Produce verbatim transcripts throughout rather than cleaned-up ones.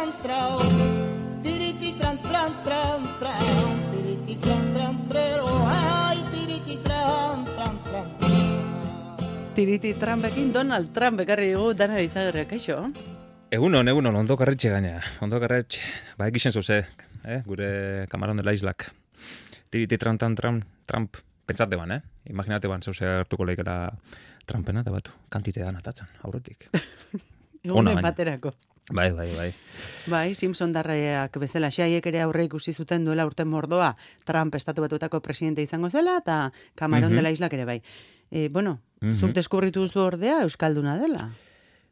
tran trao, tiriti tran tran tran trao, tiriti tran tran trero, ay, tiriti tran tran tran. Tiriti Trumpekin Donald Trump ekarri dugu Dana Izagirre, kaixo? Egunon, egunon, ondo karretxe gaina, ondo karretxe. Ba, egisen zuze, eh? Gure kamaron dela islak. Tiriti tran tran tran, Trump, pentsate ban, eh? Imaginate ban, zuze hartuko leikera Trumpena, eta batu, kantitean atatzen, aurretik. Egunen baterako. Bai, bai, bai. Bai, Simpson darraiak bezala, xaiek ere aurre ikusi zuten duela urte mordoa, Trump estatu batuetako presidente izango zela, eta Kamaron Mhm. dela islak ere bai. E, bueno, Mhm. zuk deskubritu duzu ordea Euskalduna dela.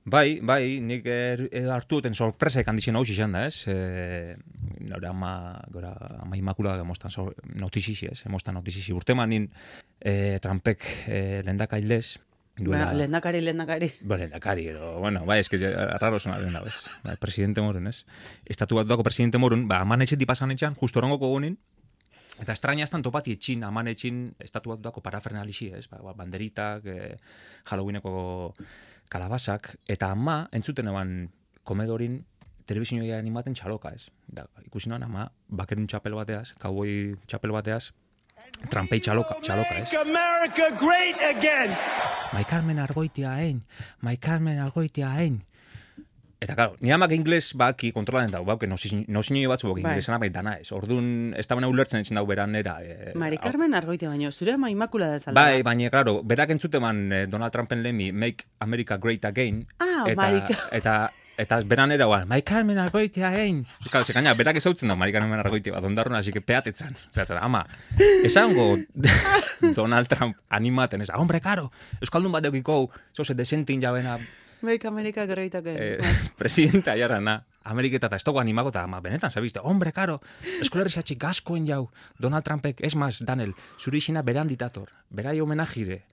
Bai, bai, nik er, er, hartu duten sorpresek handixen hau izan da, ez? E, nore ama, gora, ama imakula gemostan so, notizixi, ez? Emostan notizixi. Urte manin e, Trumpek e, lendakailez, duela... Bueno, lehendakari, lehendakari. Ba, lehendakari edo, bueno, bai, eske raro sona den da, bez? Bai, presidente morun, ez? Estatu bat duako presidente morun, ba, aman etxeti pasan etxan, justo orongoko gunin, eta estraña estan topati etxin, aman etxin, estatu bat duako parafernalixi, ez? Ba, banderitak, e, Halloweeneko kalabasak, eta ama, entzuten eban komedorin, telebizioa animaten txaloka, ez? Da, ikusi noan ama, bakerun txapel bateaz, cowboy txapel bateaz, Trumpei txaloka, txaloka, ez? Make America great again. Mai Carmen Argoitia hain, Mai Carmen Argoitia hain. Eta, claro, ni amak ingles baki kontrolaten dago, bauke, nosinio batzu bok inglesana bai dana ez. Orduan, ez da bena ulertzen etxen dago beran nera. E, Mari Carmen Argoitia baino, zure ama Immaculada zalda. Bai, baina, claro, berak entzuteman eh, Donald Trumpen lemi, Make America Great Again. Ah, eta, Mari eta, eta beran nera, guan, Mai Carmen Argoitia hain. Claro, se kaina, berak ezautzen da, Mari Carmen Argoitia bat, ondarrona, así que peatetzan. Zeratzen, ama, esango Donald Trump animaten, ez, hombre, karo, Euskaldun bat eukiko, zoze desentin jabena, Make America great again. eh, presidente aiarana, Ameriketa eta estogo animako eta ama, benetan, zabizte, hombre, karo, eskolerri gaskoen jau, Donald Trumpek, es mas, Daniel, zure izina beran ditator, berai homenajire,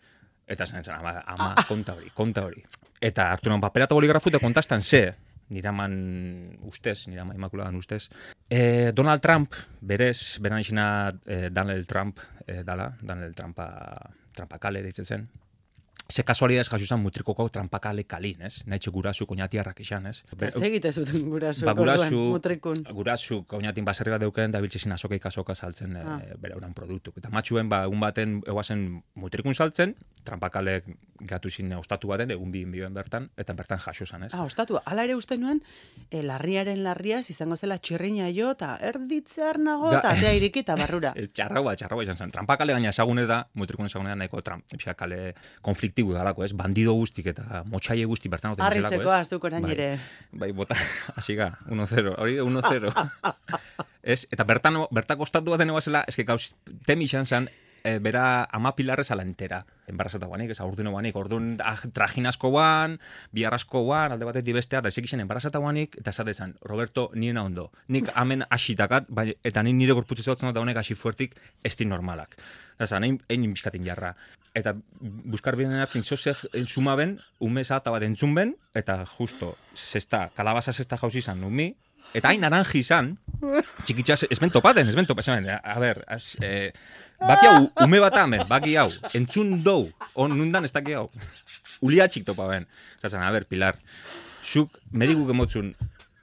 eta zen, zen, ama, ama, konta hori, konta hori. Eta hartu non paperata boligrafu eta kontastan ze, niraman ustez, nirama imakuladan ustez, eh, Donald Trump, berez, beran izina eh, Donald Trump, eh, dala, Donald Trumpa, Trumpakale deitzen zen, ze kasualidad jaso izan mutrikoko trampakale kalin, ez? Naitxe gurasu koñatiarrak izan, ez? Eta segite zuten gurasu, Ba, gurasu, orduan, mutrikun. gurasu koñatin baserri bat deuken, da biltzezin azokeik azoka saltzen Ah. e, bere uran produktuk. Eta matxuen, ba, egun baten, eguazen mutrikun saltzen, trampakalek gatu zin ostatu baten, egun bi bioen bertan, eta bertan jaso zan, ez? Ah, ostatu, ala ere uste nuen, eh, larriaren larriaz izango zela txirrina jo, eta erditzear nago, eta Da- atea iriki eta barrura. Ez, Txarrau bat, txarrau bat izan zen. Trampakale gaina esagune da, mutrikun esagune da, nahiko tram, kale konfliktibu dalako, ez? Bandido guztik eta motxaile guzti bertan oten zelako, Arritzeko, ez? azuk orain Bai. ere. Bai, bota, hasi ga, uno cero, hori uno cero. Ez, eta bertan, bertako ostatu baten ebazela, eske gauz, temi izan zen, e, bera ama pilarrez ala entera. Enbarazata guanik, ez aurduno guanik, orduan ah, trajinasko guan, biarrasko guan, alde batetik bestea, eta ezik izan enbarazata guanik, eta esatezen, Roberto, niena ondo. Nik amen asitakat, bai, eta nik nire gorputzu zautzen eta honek hasi fuertik esti normalak. Eta egin egin bizkatin jarra. Eta buskar biden hartin zozek suma ben, ume zata bat entzun ben, eta justo, zesta, kalabaza zesta jauzi izan numi, eta hain naranji izan, txikitxas, ez ben topaten, ez ben topaten, a ber, az, eh, baki hau, ume bat amen, baki hau, entzun dou, on nundan ez daki hau, uliatxik topa ben. Zaten, a ber, Pilar, zuk medikuk emotzun,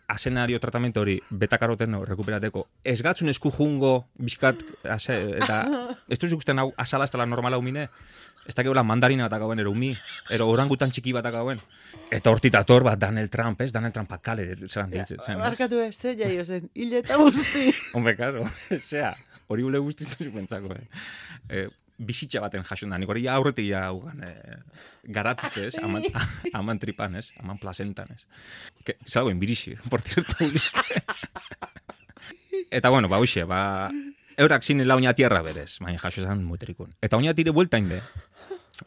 asenario tratamentu hori betakaroten no, rekuperateko, ez gatzun esku jungo, bizkat, ase, eta ez duzuk usten hau, asala ez dela normala humine, ez da gehola mandarina bat akauen, ero umi, ero orangutan txiki bat akauen. Eta hortitator bat Donald Trump, ez? Donald Trump akale, zelan ditzen. zen, ez? Barkatu ez, ze jaio zen, hile eta guzti. Hombre, karo, zea, hori ule guztitu zupentzako, eh? eh bizitza baten jasun da, nik hori ja aurretik ja haugan, eh, garatute, ez? Aman, aman tripan, ez? Aman plazentan, ez? Que, zalagoen birixi, por cierto. Eta bueno, ba, hoxe, ba, eurak zinela oinatierra berez, baina jaso esan muterikun. Eta oinatire bueltain be,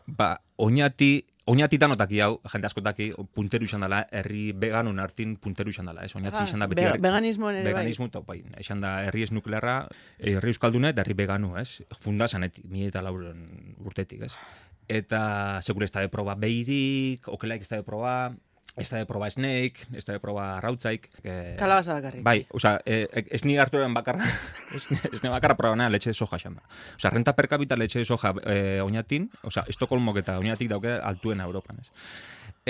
ba, oinati, oinati danotaki hau, jende askotaki, punteru izan dela, herri veganun hartin punteru izan dela, ez? Oinati izan da beti... Be veganismoan ere veganismo, bai. Bai, izan da herri ez nuklearra, herri euskalduna eta herri veganu, ez? Funda zanetik, mi eta lauren urtetik, ez? Eta segure ez da de proba beirik, okelaik ez da de proba... Ez da de proba snake, ez da de proba rautzaik. Eh, Kalabaza bakarrik. Bai, oza, eh, ez ni hartuaren bakarra, ez ni bakarra proba nena letxe de soja xan da. Oza, renta per cápita letxe de soja eh, oinatin, oza, Estokolmok eta oinatik dauke altuena Europan, ez.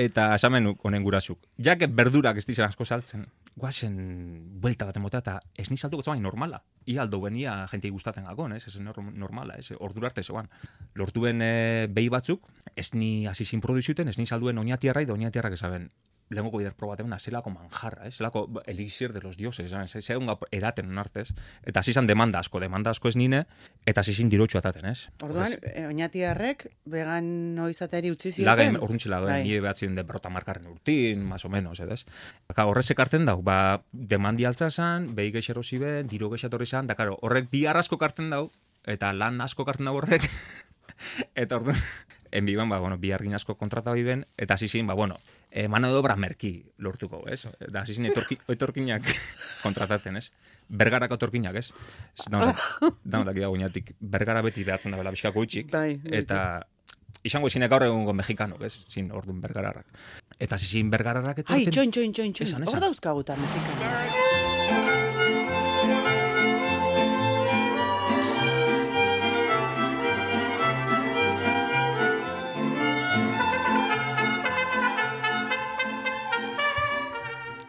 Eta esamen honen gurasuk. Jak berdurak ez dizan asko saltzen, guazen buelta bat emota eta ez ni saltuko zoan normala. Ia aldo benia jentei gustatzen gakon, ez, ez normala, ez, ordura arte zoan. Lortuen e, behi batzuk, ez ni hasi sin produzioten, ez ni salduen oinatiarra eta oinatiarrak esaben. Lehenko bider probatemena, zelako manjarra, eh? Zelako elixir de los dioses, zegoen eraten onartez, eta hasi zan demanda asko, demanda asko ez nine, eta hasi zin dirotxu ataten, ez? Orduan, e, oinatiarrek vegan noizateari utzi zioten? Lagen, orduntxe lagen, nire behatzen den berrota markarren urtin, más o menos, edes? Aka, horrezek hartzen dau, ba, demandi altza zan, behi geixero ziben, diro geixatorri zan, da, karo, horrek bi asko kartzen dau, eta lan asko kartzen dau horrek, eta orduan, enbiban, ba, bueno, bi argin asko kontrata biben, eta hasi zin, ba, bueno, E, mano de obra merki lortuko, ez? Da, hasi zin etorki, etorkinak kontrataten, ez? Bergarako etorkinak, ez? Daunak dago inatik, bergara beti behatzen dabela bizkako itxik, eta izango zinek gaur egungo mexikanok, ez? Zin orduan bergararrak. Eta hasi zin bergararrak etorten... Ai, txoin, txoin, txoin, txoin, hor dauzkaguta mexikanak.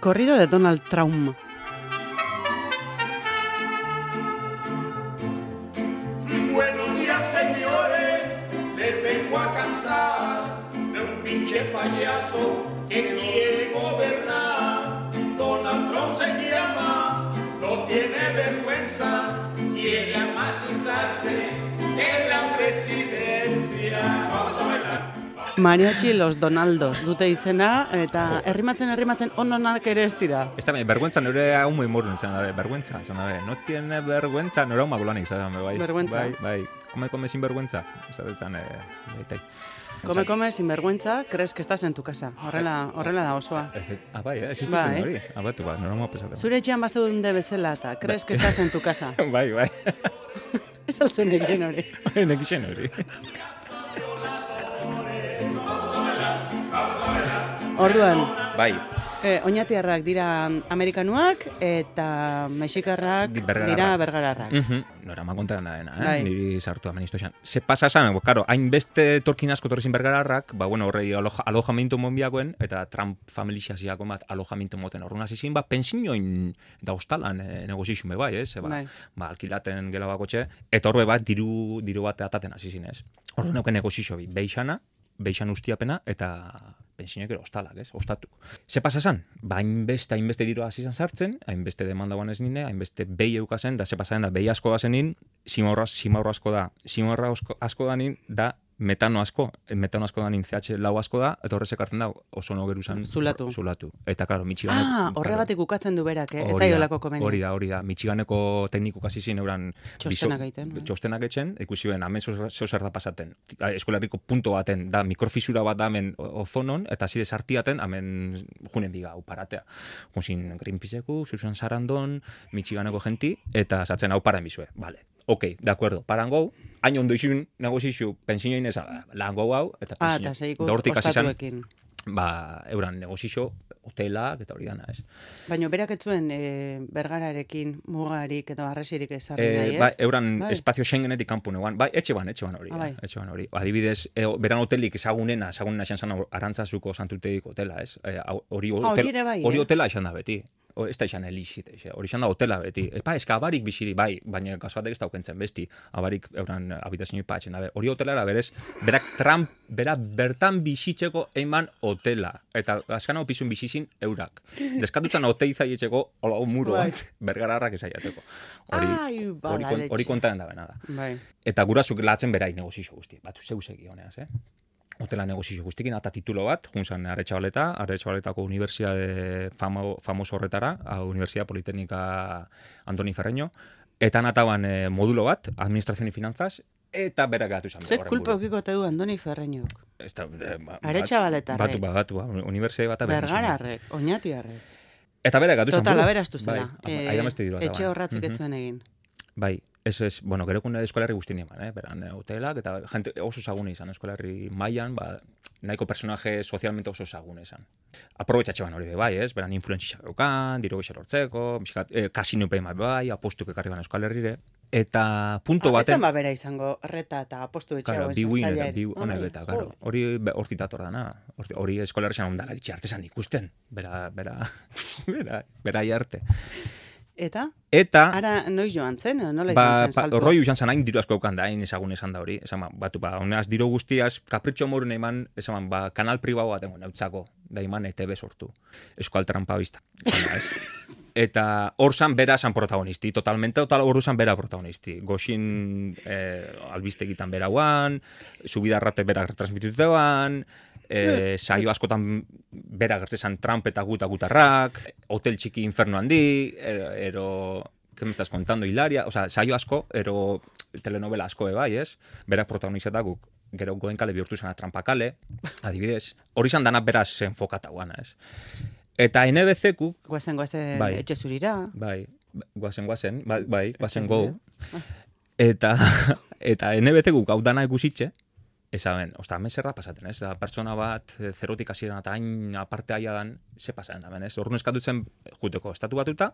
Corrido de Donald Trump. Buenos días, señores, les vengo a cantar de un pinche payaso que quiere gobernar. Donald Trump se llama, no tiene vergüenza, quiere amacizarse en la presidencia. Vamos a bailar. Mariachi los Donaldos dute izena, eta herrimatzen herrimatzen ononak ere ez dira. Ez da, vergüenza nire hau muy morun izan dabe, vergüenza, izan dabe, no tiene vergüenza, nire hau magulanik izan dabe, bai. Vergüenza. Bai, bai, come, come sin vergüenza, izatetzen, eh, baitai. Come, come, sin vergüenza, crees que estás en tu casa. Horrela, horrela da osoa. Ah, bai, eh, existitzen bai. Hori. Ah, batu, ba, nire hau pesatzen. Zure etxean bazeunde bezala, eta crees que estás en tu casa. Bai, bai. Ez altzen egin hori. Bai, nekixen hori. Orduan, bai. eh, oinatiarrak dira amerikanuak eta mexikarrak dira bergararrak. Uh -huh. Nora ma kontaran da dena, eh? Bai. Niri sartu amenisto esan. Se pasa esan, karo, hainbeste torkin asko torrezin bergararrak, ba, bueno, horrei aloja, alojamentu monbiakoen, eta Trump familixaziako bat alojamentu moten horren azizin, ba, pensioin da hostalan e, negozixume bai, ez? Ba, bai. ba, alkilaten gela bakotxe, eta horre bat diru, diru bat ataten azizin, ez? Horren nauken negozixo bi, beixana, beixan ustiapena, eta pensionek ero hostalak, ez? Ostatuk. Ze pasa esan? Ba, hainbeste, hainbeste diru hasi izan sartzen, hainbeste demanda guan ez nine, hainbeste behi eukazen, da ze pasa da, behi asko da zenin, simaurra, simaurra asko da, simaurra asko, asko da nin, da metano asko, metano asko da nin C H lau asko da, eta horrezek hartzen da, oso no geruzan zulatu. zulatu. Eta, klaro, Michiganeko... Ah, horregatik ukatzen du berak, eh? Ez zaiolako komeni. Hori da, hori da. Michiganeko teknikuk hasi zin euran... Txostenak egiten. Biso, txostenak etzen, ikusi ben, hemen zeo da pasaten. Eskolarriko punto baten, da, mikrofisura bat da hemen ozonon, eta zide sartiaten, hemen junen biga, hau paratea. Junzin Greenpeaceku, Susan Sarandon, Michiganeko genti, eta sartzen hau paran bizue. Vale. Ok, de acuerdo, paran gau, hain ondo izun negozizio, pensioin eza, lan gau hau, eta ah, pensioin. eta zeiku ostatuekin. Ba, euran negozizio, hotelak, eta hori dana, ez. Baina berak etzuen e, bergararekin, mugarik edo arresirik ezarri e, nahi, ez? Ba, euran bai. espazio Schengenetik kanpo neguan, bai, etxe ban, etxe ban hori. Ah, bai. Etxe ban hori. Adibidez, e, beran hotelik ezagunena, ezagunena esan zan Arantzazuko santuteik hotela, ez. E, hori, ah, hotel, hori ere bai, hori eh? hotela esan da beti. O, ez da izan elixit, hori izan da hotela beti. Epa, eska abarik biziri, bai, baina kasuatek ez da aukentzen besti, abarik euran habitazioi patzen dabe. Hori hotelara berez, berak Trump, bera bertan bizitzeko eiman hotela. Eta askan hau pizun bizizin eurak. Deskatutzen hotei zaietxeko, hola, muro bat, bergararrak ezaiateko. Hori, hori, hori kontaren da bena da. Bai. Eta gurasuk latzen berai negozizio guzti. Batu zeusegi honeaz, eh? Hotela negozizio guztikin, eta titulo bat, junzan Aretxabaleta, Aretxabaletako Unibertsiade famo, famoso horretara, Universidad Politécnica Andoni Ferreño, eta nataban eh, modulo bat, Administración y Finanzas, eta berak gatu izan. Ze kulpa okiko te du Andoni Ferreñok? Eh, ba, Aretxabaletarrek. Batu, batu, batu, Universidade bat. Bergararrek, oinatiarrek. Eta berak gatu izan. Total, aberaztu zela. Bai, eh, etxe horratzik etzuen egin. Bai, eso es, bueno, gerekun eskolarri guztien eman, eh? Beran, hotelak, eta gente oso zagune izan, eskolarri mailan, ba, nahiko personaje socialmente oso zagune izan. Aprobetxatxe ban hori be, bai, ez? Beran, influentzia geukan, diro gexer hortzeko, eh, kasino peima bai, apostuk ekarri ban euskal herrire, Eta punto Ah, baten... ez ba bera izango reta eta apostu Claro, etxeagoen bi win eta sortzailearen. bi honek eta, claro. Hori be- hortik dator dana. Hori- Hori eskolarrean ondala ditxe artesan ikusten. Bera, bera, bera, bera arte. Eta? Eta, Ara, noiz joan zen, edo nola ba, izan zen pa, saltua? roi usan zan, hain diru asko eukan da, hain ezagun esan da hori. Esan, ba, batu, ba, honaz diru guztiaz, kapritxo morun eman, esan, ba, kanal pribau bat egon, nautzako, da iman E T B sortu. Eskual trampa bizta. Esan, ba, ez? Eta hor zan bera zan protagonisti, totalmente, total hor zan bera protagonisti. Goxin eh, albiztegitan berauan, subidarrate bera transmititutean, eh, saio askotan bera gertzezan Trump eta gut agutarrak, hotel txiki inferno handi, ero, ero ¿qué me estás contando, Hilaria? O sea, saio asko, ero telenovela asko bai, ez? Berak protagonizeta guk, gero goen kale bihurtu zena Trampakale, adibidez. Hori zan dana beraz enfokata guana, ez? Eta N B C-ku, Guazen, guazen, Bai. etxe zurira. bai, guazen, guazen, bai, bai, guazen go. Eta, eta N B C-ku gau dana ikusitxe, esaben, osta, hemen zer da pasaten, ez? Da, pertsona bat, eh, zerotik hasieran eta hain aparte aia dan, ze pasaten da, ez? Horren eskatutzen juteko estatu batuta,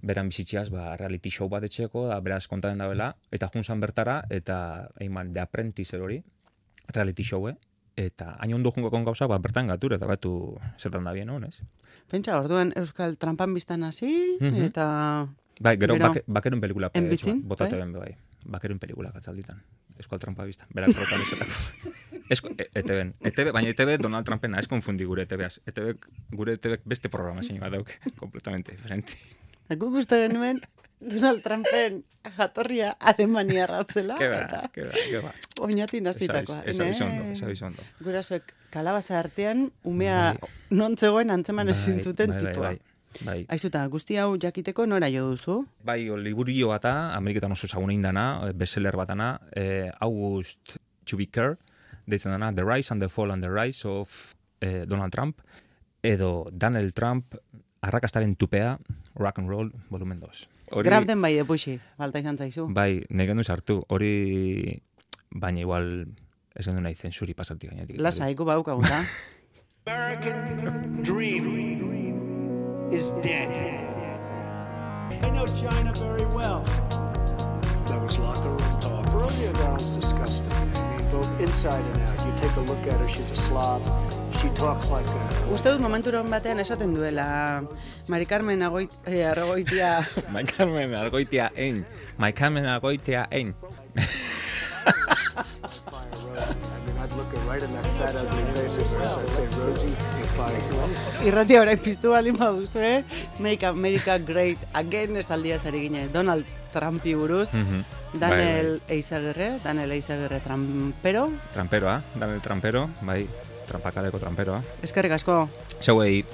beran bizitziaz, ba, reality show bat etxeko, da, beraz kontaten da bela, eta junzan bertara, eta, eiman, The Apprentice hori, reality showe, eta hain ondo jungo kon gauza, ba, bertan gatur, eta batu zetan da bien hon, ez? Pentsa, orduan Euskal Trampan biztan hasi, Mhm. eta... Bai, gero, Gero, bake, bakerun pelikula en bizin, botate bai? ben, bai. Bakerun pelikula katzalditan. Eskual trampa bizta. Berak protagonizatako. Esko, e, E T B, E T B, baina E T B Donald Trumpena, ez konfundi gure E T B-az. E T B, gure E T B beste programa zein bat dauk, completamente diferente. Guk uste genuen Donald Trumpen jatorria Alemania ratzela, Ke ba, eta ke ba, ke ba. oinatin hasitakoa. Esa bizondo, esa bizondo. Gurasoek kalabaza artean, umea Bai. non zegoen antzeman Bai, ezin zuten bai, bai, tipoa. bai, bai. Aizuta, guzti hau jakiteko nora jo duzu? Bai, o, liburio bata, Ameriketan oso zaguna indana, bestseller batana, eh, August Chubiker, deitzen dana, The Rise and the Fall and the Rise of eh, Donald Trump, edo Donald Trump, arrakastaren tupea, Rock and Roll, volumen dos. Hori, Grab den bai depuxi, balta izan zaizu. bai, negen du sartu, hori, baina igual, ez gendu nahi zensuri pasatik gainetik. Lasa, iku baukagu da. American dream is dead. I know China very well. That was locker room talk. Rosie O'Donnell's disgusting. I mean, both inside and out. You take a look at her, she's a slob. She talks like a... Uste dut momenturon batean esaten duela Mari Carmen Agoit, eh, Argoitia. Mai Carmen Argoitia ein, Mai Carmen Argoitia ein. I mean, I'd look her right in that fat, ugly face of hers. I'd say, Rosie, you're fired. Irratia orain piztu baldin baduzu, eh? Make America Great Again esaldia zari ginen. Donald Trumpi buruz. Mhm. Daniel Eizagirre, Daniel Eizagirre Trampero. Tramperoa, Daniel Trampero, bai, trampakaleko tramperoa. Eskerrik asko. Zeuei,